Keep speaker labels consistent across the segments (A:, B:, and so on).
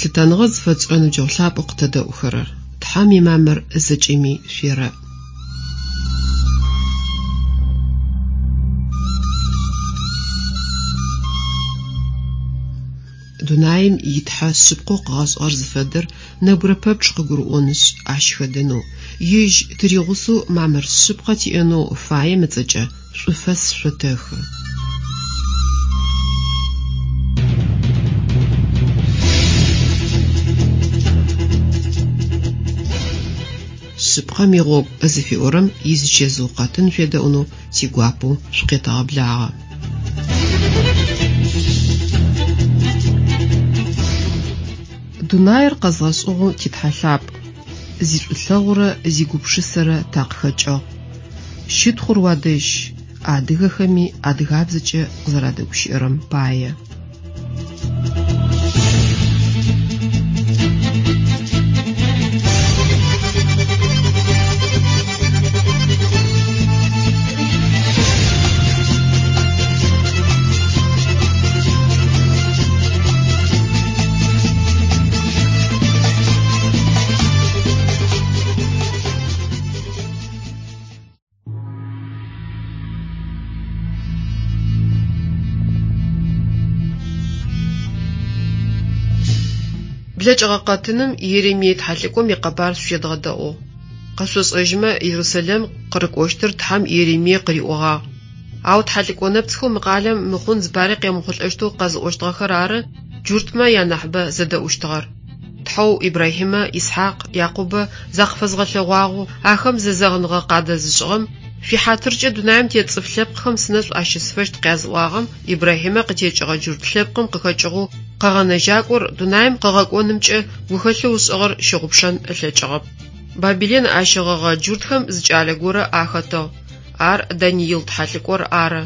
A: Лъытэныгъэ зыфэтшӏырэ ныбджэгъу лъапӏэу къытэдэӏухэрэр! Тхьэм имамыр зэкӏэми шъуерэӏ! Дунаим и Тхьэ шъыпкъэу къыгъэшӏыгъэр зыфэдэр нэбгырэ пэпчъ къыгурыӏонышъ, ащ хэдэнэу, Ежь тыригъусэу мамыр шъыпкъэ тиӏэнэу фаем ыцӏэкӏэ шӏуфэс шъотэхы. Шъыпкъэм игъогу зыфиӏорэм изычэзыу къэтын шъуедэӏунэу тигуапэу шъукъетэгъэблагъэ. Дунаир къэзгъэшӏыгъэу ти Тхьэ лъапӏ, зишӏулъэгъурэ зигупшысэрэ такъыхэкӏыгъ. Щытхъур уадэжь, адыгэхэми адыгабзэкӏэ къызэрадэгущыӏэрэм пае. Блэкӏыгъэ къэтыным Еремие тхьэлӏыкӏом икъэбар шъуедгъэдэӏугъ. Къэшъошӏэжьымэ, Ерусэлэм къырыкӏощтыр Тхьэм Еремие къыриӏогъагъ. Ау тхьэлӏыкӏо нэпцӏхэу мы къалэм мыхъун зыпари къемыхъулӏэщтэу къэзыӏощтыгъэхэр ары джуртмэ янахьыбэ зэдэӏущтыгъэр. Тхьэу Ибрахьимэ, Исхьакъ, Якъубэ закъыфэзгъэлъэгъуагъэу, ахэм зэзэгъыныгъэ къадэзышӏыгъэм, Шъуихьатыркӏэ дунаим тет цӏыф лъэпкъхэм сынэшӏу ащысфэщт къязыӏуагъэм Ибрахьимэ къытекӏыгъэ джурт лъэпкъым къыхэкӏыгъэу Къэгъэнэжьакӏор дунаим къыгъэкӏонымкӏэ гухэлъэу ышӏыгъэр щыгъупшэн ылъэкӏыгъэп. Бабилэн ащэгъэгъэ джуртхэм зы кӏалэ горэ ахэтыгъ. Ар Даниил тхьэлӏыкӏор ары.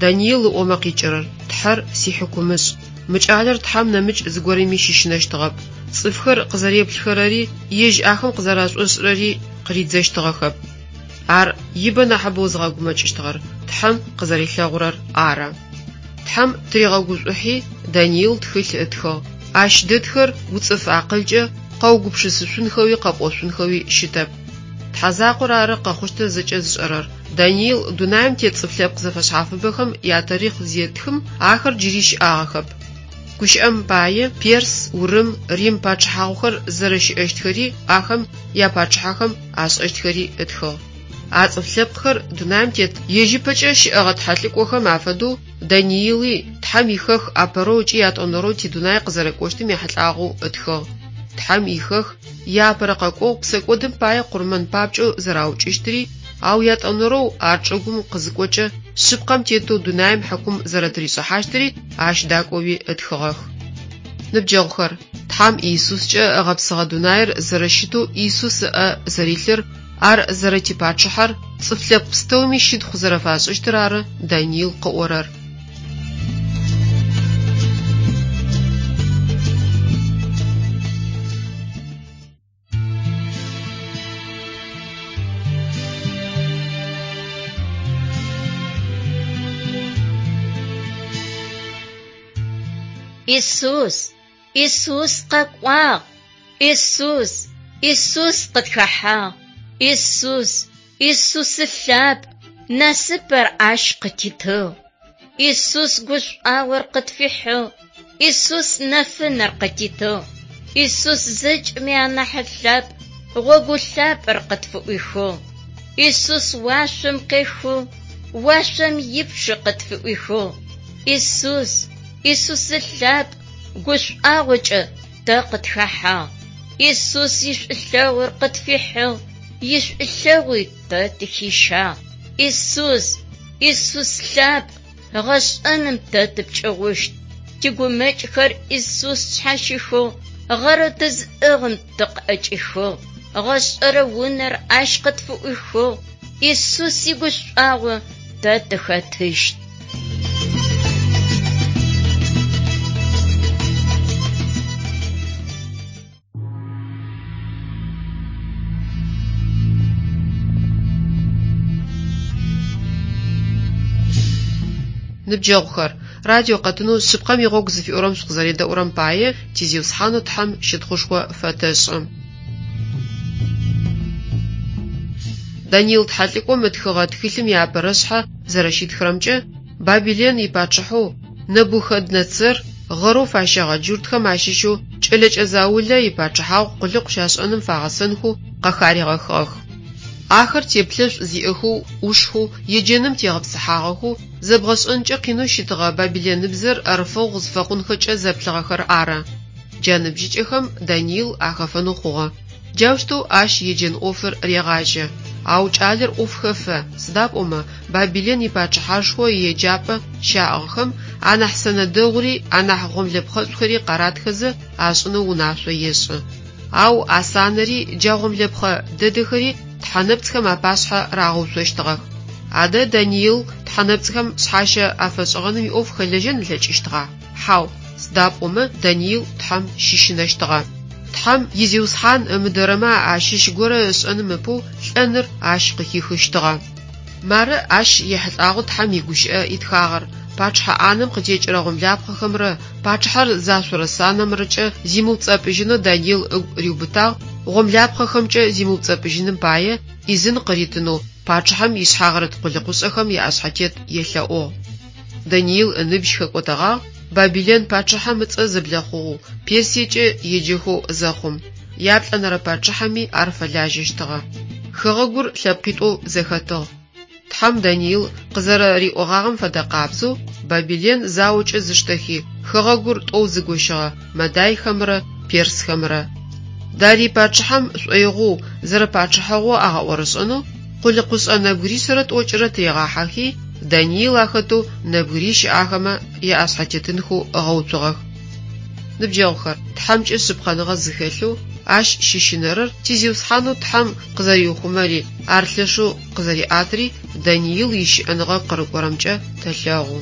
A: Даниил ыӏомэ къикӏырэр, Тхьэр сихьыкумышӏ. Мы кӏалэр Тхьэм нэмыкӏ зыгорэми щыщынэщтыгъэп. Цӏыфхэр къызэреплъхэрэри, ежь ахэм къызэрашӏошӏырэри къыридзэщтыгъэхэп. Ар ибэ нахьыбэу зыгъэгумэкӏыщтыгъэр Тхьэм къызэрилъэгъурэр ары. Тхьэм тыригъэгушӏухьи, Даниил тхылъ ытхыгъ. Ащ дэтхэр уцӏыф акъылкӏэ къэугупшысышъунхэуи къэпӏошъунхэуи щытэп. Тхьэ закъор ары къэхъущтыр зэкӏэ зышӏэрэр. Даниил дунаим тет цӏыф лъэпкъ зэфэшъхьафыбэхэм ятарихъ зетхым, ахэр джыри щыӏагъэхэп. Гущыӏэм пае, Перс, Урым, Рим пачъыхьагъухэр зэрэщыӏэщтхэри, ахэм япачъыхьэхэм ашӏэщтхэри ытхыгъ. А цӏыф лъэпкъхэр дунаим тет ежь ыпэкӏэ щыӏэгъэ тхьэлӏыкӏохэм афэдэу Даниили Тхьэм ихэх апэрэу ыкӏи ятӏонэрэу тидунай къызэрэкӏощтым ехьылӏагъэу ытхыгъ. Тхьэм ихэх иапэрэ къэкӏогъу псэкӏодым пае къурмэн папкӏэу зэраукӏыщтыри, ау ятӏонэрэу ар чӏыгум къызыкӏокӏэ шъыпкъэм тетэу дунаим хьыкум зэрэтыришӏыхьащтыри ащ дакӏоуи ытхыгъэх. Ныбджэгъухэр, Тхьэм Иисускӏэ ыгъэпсыгъэ дунаир зэрэщытэу Иисус ыӏэ зэрилъыр, ар зэрэтипачъыхьэр, цӏыф лъэпкъ пстэуми щытхъу зэрэфашӏыщтыр ары Даниил къыӏорэр.
B: Исус! Исус къэкӏуагъ! Исус! Исус къытхэхьагъ! Исус! Исусы лъапӏ! Насыпыр ащ къытитыгъ! Исус гушӏуагъор къытфихьыгъ! Исус нэфынэр къытитыгъ! Исус зэкӏэми анахь лъапӏ, гъогу лъапӏэр къытфыӏуихыгъ! Исус уашъом къехыгъ, уашъом ипчъэ къытфыӏуихыгъ! Исус! Исусы лъапӏ, гушӏуагъокӏэ тэ къытхэхьагъ! Исус ишӏулъэгъур къытфихьыгъ, ишӏулъэгъуи тэ тыхищагъ! Исус! Исус лъапӏ, гъэшӏэным тэ тыпкӏыгъущт! Тигумэкӏхэр Исус тшъхьащихыгъ, гъэрэу тызыӏыгъым тыкъыӏэкӏихыгъ, гъэшӏэрэ унэр ащ къытфыӏуихыгъ, Исус игушӏуагъо тэ тыхэтыщт.
A: Ныбджэгъухэр, Радио къэтынэу Шъыпкъэм игъогу зыфиӏорэм шъукъызэредэӏурэм пае ти Зиусхьанэу Тхьэм щытхъушхо фэтэшӏы. Даниил тхьэлӏыкӏом ытхыгъэ тхылъым иапэрэшъхьэ зэрэщитхырэмкӏэ, Бабилэн ипачъыхьэу Нэбухэднэцэр гъэрэу фащэгъэ джуртхэм ащыщэу кӏэлэкӏэ заулэ ипачъыхьагъу къулыкъу щашӏэным фагъэсэнхэу къахаригъэхыгъэх. Ахэр теплъэшӏу зиӏэхэу, ӏушхэу, еджэным тегъэпсыхьагъэхэу, зэбгъэшӏэнкӏэ къинэу щытыгъэ бабилэныбзэр ӏэрыфэгъу зыфэхъунхэкӏэ зэплъыгъэхэр ары. Джа ныбжьыкӏэхэм Даниил ахэфэнэу хъугъэ. Джаущтэу ащ еджэн ӏофыр регъажьэ. Ау кӏалэр ӏоф хэфэ, сыда пӏомэ Бабилэн ипачъыхьашхо иеджапӏэ щаӏыгъхэм анахь сэнэ дэгъури анахь гъомлэпхъэшӏухэри къаратхэзэ ашӏынэу унашъо ешӏы. Ау а санэри джа гъомлэпхъэ дэдэхэри тхьэнэпцӏхэм апашъхьэ рагъэуцощтыгъэх. Адэ Даниил тхьэнэпцӏхэм шъхьащэ афэшӏыгъэным иӏоф хэлэжьэн ылъэкӏыщтыгъа? Хьау, сыда пӏомэ Даниил Тхьэм щыщынэщтыгъэ. Тхьэм и Зиусхьан ымыдэрэмэ ащыщ горэ ышӏэным ыпэу лӏэныр ащ къыхихыщтыгъэ. Мары ащ ехьылӏагъэу Тхьэм игущыӏэ итхагъэр, Пачъыхьэ ӏанэм къытекӏырэ гъомлапхъэхэмрэ пачъыхьэр зашъорэ санэмрэкӏэ зимыуцӏэпӏыжьынэу Даниил ыгу риубытагъ, гъомлапхъэхэмкӏэ зимыуцӏэпӏыжьыным пае ӏизын къыритынэу пачъыхьэм ишъхьагъырыт къулыкъушӏэхэм яӏэшъхьэтет елъэӏугъ. Даниил ыныбжь хэкӏотэгъагъ, Бабилэн пачъыхьэм ыцӏэ зэблэхъугъэу, Персиекӏэ еджэхэу зэхъум. Яплӏэнэрэ пачъыхьэми ар фэлажьэщтыгъэ. Хэгъэгур лъэпкъитӏоу зэхэтыгъ. Тхьэм Даниил къызэрэриӏогъагъэм фэдэ къабзэу, Бабилэн заокӏэ зыштэхи, хэгъэгур тӏоу зыгощыгъэ мадайхэмрэ персхэмрэ. Дарий пачъыхьэм шӏоигъоу, зэрэпачъыхьэгъоу агъэӏорышӏэнэу къулыкъушӏэ нэбгыришъэрэ тӏокӏырэ тыригъахьэхи, Даниил ахэтэу нэбгырищ ахэмэ яӏэшъхьэтетынхэу ыгъэуцугъэх. Ныбджэгъухэр, Тхьэмкӏэ шъыпкъэныгъэ зыхэлъэу, Ащ щыщынэрэр ти Зиусхьанэу Тхьэм къызэриухъумэри, Ар лъэшэу къызэриӏатыри Даниил ищыӏэныгъэ къырыкӏорэмкӏэ тэлъэгъу.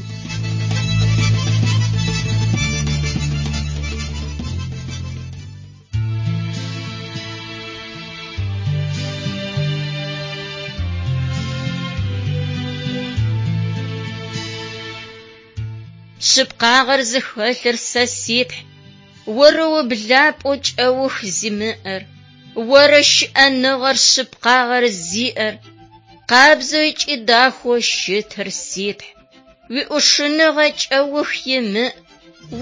B: Шъыпкъагъэр зыхэлъыр сэ си Тхь, Оры ублапӏэу кӏэух зимыӏэр, Оры щыӏэныгъэр шъыпкъагъэр зиӏэр, Къабзэу ыкӏи дахэу щытыр си Тхь. Уиӏушыныгъэ кӏэух имыӏ,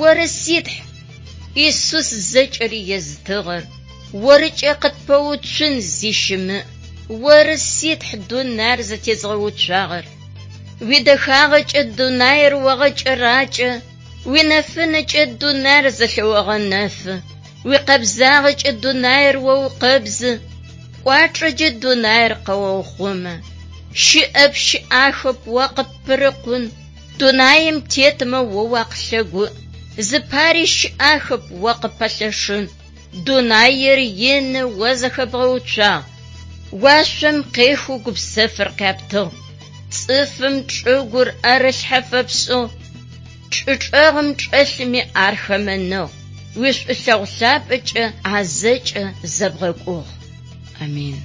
B: Оры си Тхь, Исус зэкӏэри езытыгъэр, Орыкӏэ къытпэуцун зи щымыӏ, Оры си Тхь дунаир зэтезгъэуцуагъэр. Уидэхагъэкӏэ дунаир огъэкӏэракӏэ, Уинэфынэкӏэ дунаир зэлъэогъэнэфы, Уикъэбзагъэкӏэ дунаир оукъэбзы, Пкӏуачӏэкӏэ дунаир къэоухъумэ. Щыӏэп, щыӏахэп о къыппырыкъун, Дунаим тетмэ о уакъылъэгуӏ, Зыпари щыӏахэп о къыппэлъэшын, Дунаир ины о зэхэбгъэуцуагъ, Уашъом къехэу гупсэфыр къяптыгъ, Цӏыфым чӏыгур ӏэрылъхьэ фэпшӏыгъ, Чӏы чӏэгъым чӏэлъыми ар хэмэныгъ, Уишӏулъэгъу лъапӏэкӏэ а зэкӏэ зэбгъэкӏугъ. Амин.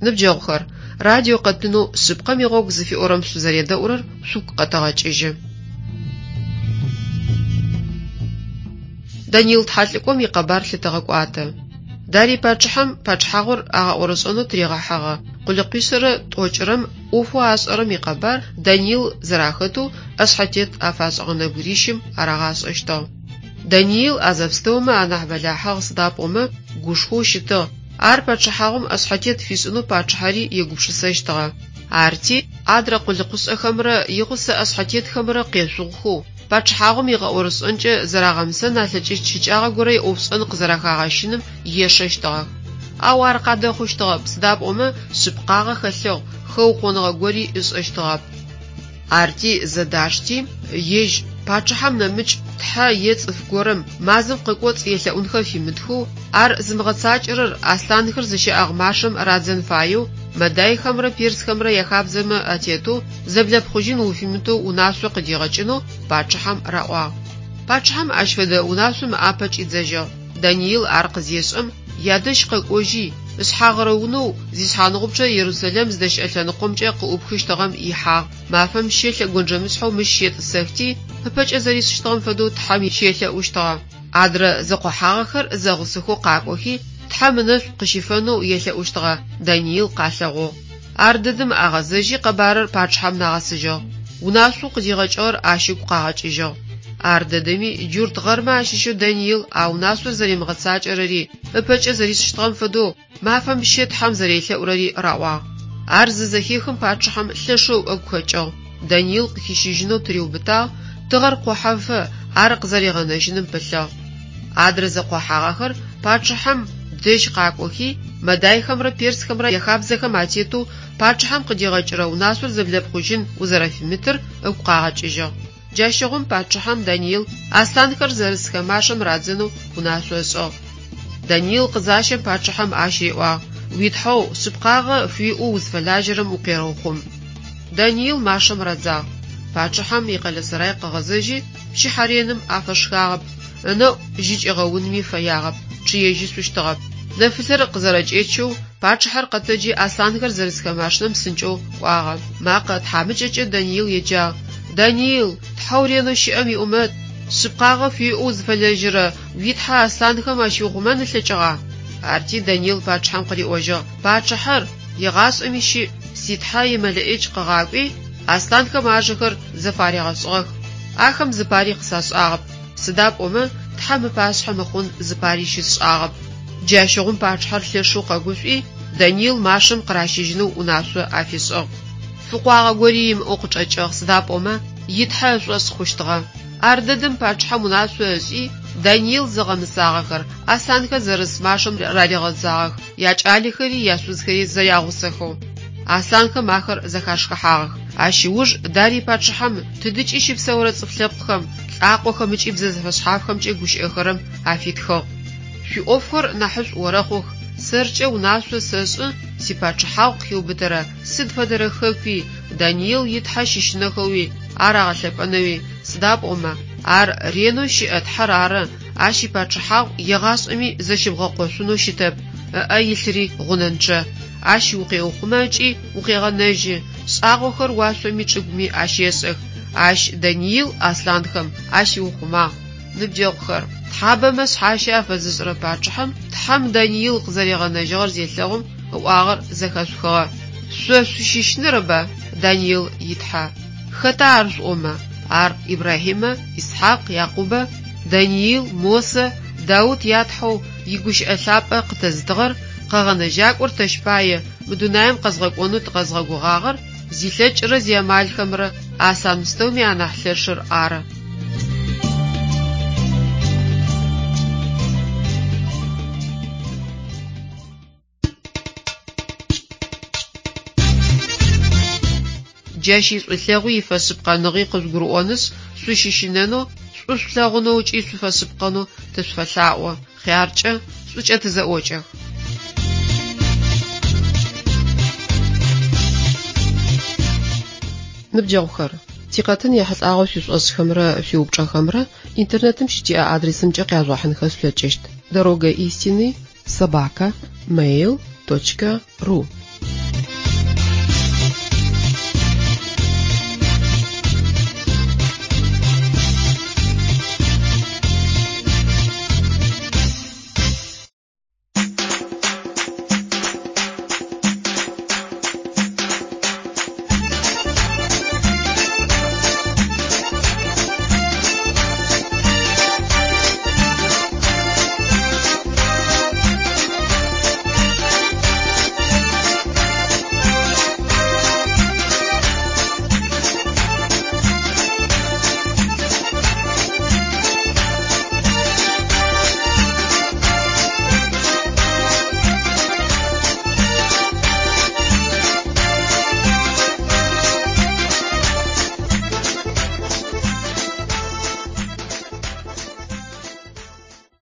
A: Ныбджэгъухэр, радио къэтынэу Шъыпкъэм игъогу зыфиӏорэм шъузэредэӏурэр шъугу къэтэгъэкӏыжьы. Даниил тхьэлӏыкӏом икъэбар лъытэгъэкӏуатэ. Дарий пачъыхьэм пачъыхьагъур агъэӏорышӏэнэу тыригъэхьэгъэ къулыкъуишъэрэ тӏокӏырэм ӏофэу ашӏэрэм икъэбар Даниил зэрахэтэу ӏэшъхьэтет афашӏыгъэ нэбгырищым арагъашӏэщтыгъ. Даниил а зэпстэумэ анахь бэлахьыгъ, сыда пӏомэ гушхоу щытыгъ, ар пачъыхьагъум ӏэшъхьэтет фишӏынэу пачъыхьэри егупшысэщтыгъэ. Арти, адрэ къулыкъушӏэхэмрэ игъусэ ӏэшъхьэтетхэмрэ къешъугъухэу, пачъыхьагъум игъэӏорышӏэнкӏэ зэрагъэмысэн алъэкӏыщт щыкӏагъэ горэ иӏофшӏэн къызэрэхагъэщыным ешэщтыгъэх. Ау ар къадэхъущтыгъэп, сыда пӏомэ шъыпкъагъэ хэлъыгъ, хэукъоныгъэ гори ышӏэщтыгъэп. Арти зэдашти, ежь пачъыхьэм нэмыкӏ тхьэ е цӏыф горэм мазэм къыкӏоцӏ елъэӏунхэ фимытхэу, ар зымыгъэцакӏэрэр аслъанхэр зыщаӏыгъ машэм радзэн фаеу Мэдайхэмрэ персхэмрэ яхабзэмэ атетэу зэблэпхъужьын уфимытэу унашъо къыдигъэкӏынэу пачъыхьэм раӏуагъ. Пачъыхьэм ащ фэдэ унашъом ыӏапэ кӏидзэжьыгъ. Даниил ар къызешӏэм, ядэжь къэкӏожьи, ышъхьагъырэ унэу зишъхьаныгъупчъэ Ерусэлэм зыдэщыӏэ лъэныкъомкӏэ къыӏупхыщтыгъэм ихьагъ. Мафэм щэ лъэгонджэмышъхьэу мыщ щетӏысэхти, ыпэкӏэ зэришӏыщтыгъэм фэдэу Тхьэм щелъэӏущтыгъэ. Адрэ зэкъохьагъэхэр зэгъусэхэу къакӏохи, Тхьэм ынэшӏу къыщифэнэу елъэӏущтыгъэ Даниил къалъэгъугъ. Ардэдэм агъэзэжьи къэбарыр пачъыхьэм нагъэсыжьыгъ. Унашъоу къыдигъэкӏыгъэр ащ ыгу къагъэкӏыжьыгъ. Ардэдэми джурт гъэрмэ ащыщэу Даниил а унашъор зэримыгъэцакӏэрэри, ыпэкӏэ зэришӏыщтыгъэм фэдэу, мафэм щэ Тхьэм зэрелъэӏурэри раӏуагъ. Ар зызэхехым пачъыхьэм лъэшэу ыгу хэкӏыгъ. Даниил къыхищыжьынэу тыриубытагъ, тыгъэр къохьэфэ ар къызэригъэнэжьыным пылъыгъ. Адрэ зэкъохьагъэхэр пачъыхьэм дэжь къакӏохи, мэдайхэмрэ персхэмрэ яхабзэхэм атетэу пачъыхьэм къыдигъэкӏырэ унашъор зэблэпхъужьын узэрэфимытыр ыгу къагъэкӏыжьыгъ. Джащыгъум пачъыхьэм Даниил аслъанхэр зэрысхэ машэм радзэнэу унашъо ышӏыгъ. Даниил къызащэм пачъыхьэм ащ риӏуагъ: «Уи Тхьэу шъыпкъагъэ фыуиӏэу узфэлажьэрэм укъерэухъум». Даниил машэм радзагъ. Пачъыхьэм икъэлэсэрай къыгъэзэжьи, пчыхьэ реным афэшхагъэп, ынэӏу жьы кӏигъэунми фэягъэп, чъыежьышъущтыгъэп. Нэфылъэр къызэрэкӏечэу пачъыхьэр къэтэджи аслъанхэр зэрысхэ машинэм псынкӏэу кӏуагъэ. Макъэ тхьамыкӏэкӏэ Даниил еджагъ: «Даниил, Тхьэу ренэу щыӏэм иӏумэт, шъыпкъагъэ фыуиӏэу узфэлэжьэрэ уи Тхьэ аслъанхэм ащиухъумэн ылъэкӏыгъа?» Арти Даниил пачъыхьэм къыриӏожьыгъ: «Пачъыхьэр, егъашӏэми щыӏ, си Тхьэ и Мэлэӏич къыгъакӏуи, аслъанхэм ажэхэр зэфаригъэшӏыгъэх. Ахэм зыпари къысашӏагъэп, сыда пӏомэ Тхьэм ыпашъхьэ мыхъун зыпари щысшӏагъэп». Джащыгъум пачъыхьэр лъэшэу къэгушӏуи, Даниил машэм къыращыжьынэу унашъо афишӏыгъ. Фыкъуагъэ гори имыӏэу къычӏэкӏыгъ, сыда пӏомэ и Тхьэ ышӏошъ хъущтыгъэ. Ардэдэм пачъыхьэм унашъо ышӏи, Даниил зыгъэмысагъэхэр аслъанхэр зэрыс машэм раригъэдзагъэх, якӏалэхэри яшъузхэри зэрягъусэхэу. Аслъанхэм ахэр зэхашхыхьагъэх. Ащ ыуж Дарий пачъыхьэм тыдыкӏи щыпсэурэ цӏыф лъэпкъхэм, лӏакъохэм ыкӏи бзэ зэфэшъхьафхэмкӏэ гущыӏэхэрэм афитхыгъ: Шъуиӏофхэр нахьышӏу орэхъух, сэркӏэ унашъо сэшӏы сипачъыхьагъу къыхиубытэрэ сыд фэдэрэ хэкуи Даниил и Тхьэ щыщынэхэуи ар агъэлъэпӏэнэуи, сыда пӏомэ ар ренэу щыӏэ Тхьэр ары, ащ ипачъыхьагъу егъашӏэми зэщыбгъэкъошъунэу щытэп, ыӏэ илъыри гъунэнчъэ. Ащ укъеухъумэ ыкӏи укъегъэнэжьы, шӏагъохэр уашъоми чӏыгуми ащешӏэх. Ащ Даниил аслъанхэм ащиухъумагъ. Ныбджэгъухэр, тхьабэмэ шъхьащэ афэзышӏырэ пачъыхьэм Тхьэм Даниил къызэригъэнэжьыгъэр зелъэгъум ыӏуагъэр зэхэшъухыгъэ. Шъо шъущыщынэрэба Даниил и Тхьэ? Хэта ар шъуӏомэ? Ар Ибрахьимэ, Исхьакъ, Якъубэ, Даниил, Мосэ, Даут ятхьэу игущыӏэ лъапӏэ къытэзытыгъэр, къэгъэнэжьакӏор тэщ пае мы дунаим къэзгъэкӏонэу тыкъэзгъэгугъагъэр зилъэкӏырэ зиамалхэмрэ аслъан пстэуми анахь лъэшыр ары. Джащ ишӏулъэгъуи ифэшъыпкъэныгъи къыжъугурыӏонышъ, шъущыщынэнэу, шӏу шъулъэгъунэу ыкӏи шъуфэшъыпкъэнэу тышъуфэлъаӏо. Хъяркӏэ, шӏукӏэ тызэӏокӏэх. Ныбджэгъухэр, тикъэтын ехьылӏагъэу шъуишӏошӏхэмрэ шъуиупчӏэхэмрэ интернетым щытиӏэ адресымкӏэ къяжъугъэхьынхэ шъулъэкӏыщт: дорога истины собака mail точка ру.